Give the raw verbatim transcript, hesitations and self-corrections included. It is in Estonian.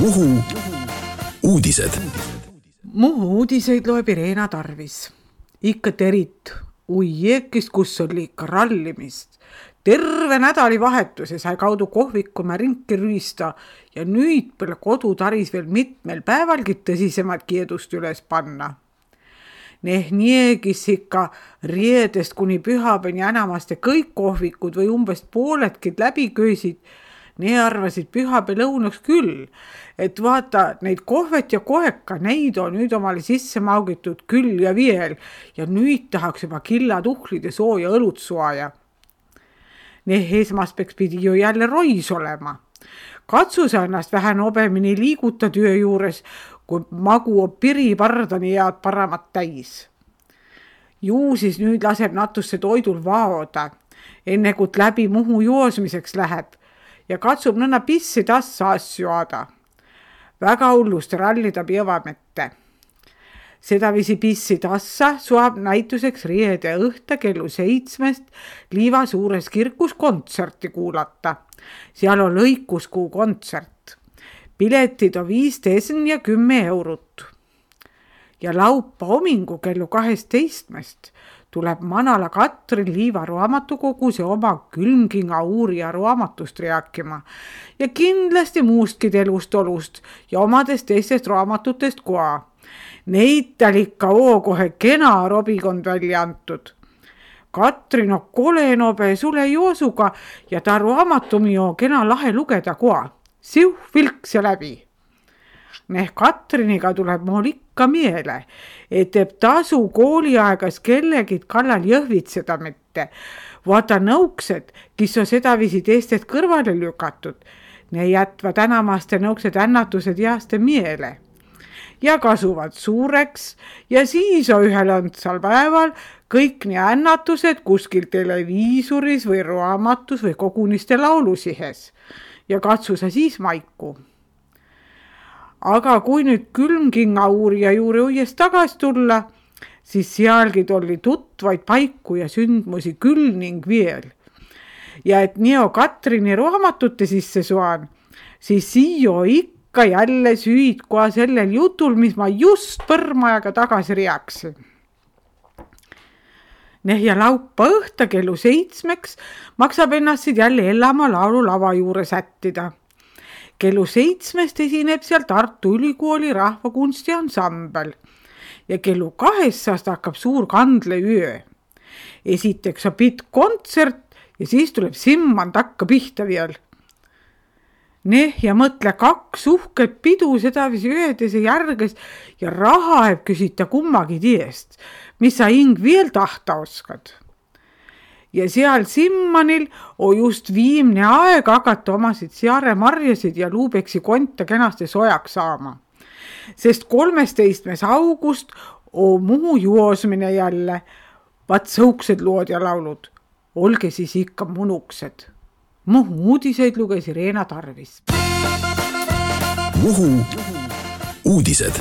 Muhu uudised. Muhu uudiseid loeb Irena Tarvis. Ikka terit uiekist, kus oli ikka rallimist. Terve nädali vahetuse sai kaudu kohvikuma rinki rüüsta ja nüüd peale kodu taris veel mitmel päevalgi tõsisemad kiedust üles panna. Neh niegis ikka riedest kuni pühapäini enamaste kõik kohvikud või umbes pooledkid läbi köösid. Nii arvasid pühapäev lõunaks küll, et vaata neid kohvet ja koheka, neid on nüüd omale sisse maugitud küll ja veel ja nüüd tahaks juba killatuhlid ja sooja õlut suaja. Neh esmaspeks pidi ju jälle rois olema. Katsu sa ennast vähän obemini liiguta työ juures, kui magu on piripardani jaad paramat täis. Juu siis nüüd laseb natusse toidul vaoda, enne kui läbi Muhu joosmiseks läheb ja katsub nõnna pissi tassa asju aada. Väga hullust rallida pievamette. Seda visi pissi tassa suab näituseks riede õhta kellu seitsmest Liiva suures kirkus kontserti kuulata. Seal on lõikuskuu kontsert. Piletid on viisteist ja kümme eurot. Ja laupa homingu kellu kaheteistkümnest tuleb Manala Katrin Liiva raamatukogus ja oma Külmkinga uurija raamatust rääkima ja kindlasti muustki elust olust ja omadest teistest raamatutest koa. Neid tal ikka oo kohe kena robikond välja antud. Katrin on kole nobe sule joosuga ja ta raamatumi on kena lahe lugeda koa. Siuh vilks ja läbi. Neh Katriniga tuleb mul ikka miele, et teeb tasu kooliaegas kellegid kallal jõhvitseda mitte. Vaata nõuksed, kes on sedavisi teistest kõrvale lükatud, ne jätva tänamaste nõuksed ännatused jaaste miele. Ja kasuvad suureks ja siis on ühel õndsal päeval kõik nii ännatused kuskil televiisuris või raamatus või koguniste laulusihes. Ja katsu sa siis maiku. Aga kui nüüd Külmkinga uurija juurde uuest tagasi tulla, siis sealgi oli tutvaid paiku ja sündmusi küll ning veel. Ja et nii on Katrini raamatute sisse suan, siis siio ikka jälle süüd koha sellel jutul, mis ma just põrmajaga tagasi reaksin. Neh ja laupa õhta kellu seitsmeks maksab ennast jälle Ellama laulu lava juurde sättida. Kellu seitsmest esineb seal Tartu Ülikooli rahvakunsti ansambel ja kellu kahest hakkab suur kandleöö. Esiteks on pitt kontsert ja siis tuleb simman takka pihta veel. Neh ja mõtle kaks uhket pidu sedavisi ühedes ja järges ja raha eb küsita kummagi tiest, mis sa hing veel tahta oskad. Ja seal Simmanil on just viimne aeg hakata omasid searemarjasid ja luubeksi konta kenasti sojaks saama. Sest kolmesteistkümnes august on Muhu juosmine jälle. Vat sõuksed lood ja laulud. Olge siis ikka munuksed. Muhu uudiseid luges Irena Tarvis. Muhu uudised.